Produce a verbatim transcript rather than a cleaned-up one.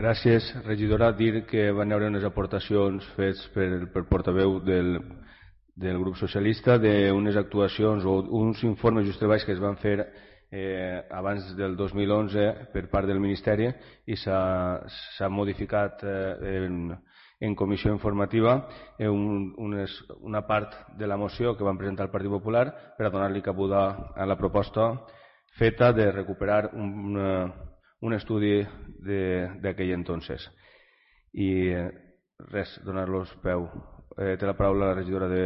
Gràcies, regidora. Dir que van haver unes aportacions fetes per portaveu del del grup socialista d'unes actuacions o uns informes just treballs que es van fer eh, abans del dos mil onze per part del Ministeri i s'ha modificat eh, en, en comissió informativa eh, un, unes, una part de la moció que van presentar el Partit Popular per a donar-li cabuda a la proposta feta de recuperar un, un estudi d'aquell entonces. I eh, res, donar-los peu. Eh, té la paraula la regidora de